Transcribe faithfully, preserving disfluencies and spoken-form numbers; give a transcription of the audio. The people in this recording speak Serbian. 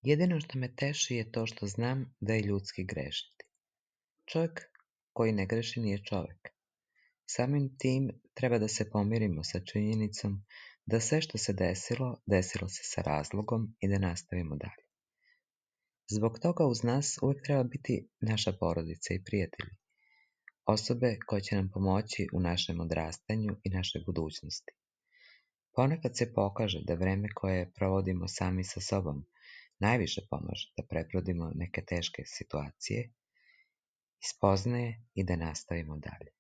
Jedino što me teši je to što znam da je ljudski grešiti. Čovjek koji ne greši nije čovjek. Samim tim treba da se pomirimo sa činjenicom da sve što se desilo, desilo se sa razlogom i da nastavimo dalje. Zbog toga uz nas uvijek treba biti naša porodica i prijatelji, osobe koje će nam pomoći u našem odrastanju i našoj budućnosti. Ponekad se pokaže da vreme koje provodimo sami sa sobom najviše pomaže da prebrodimo neke teške situacije, ispoznaje i da nastavimo dalje.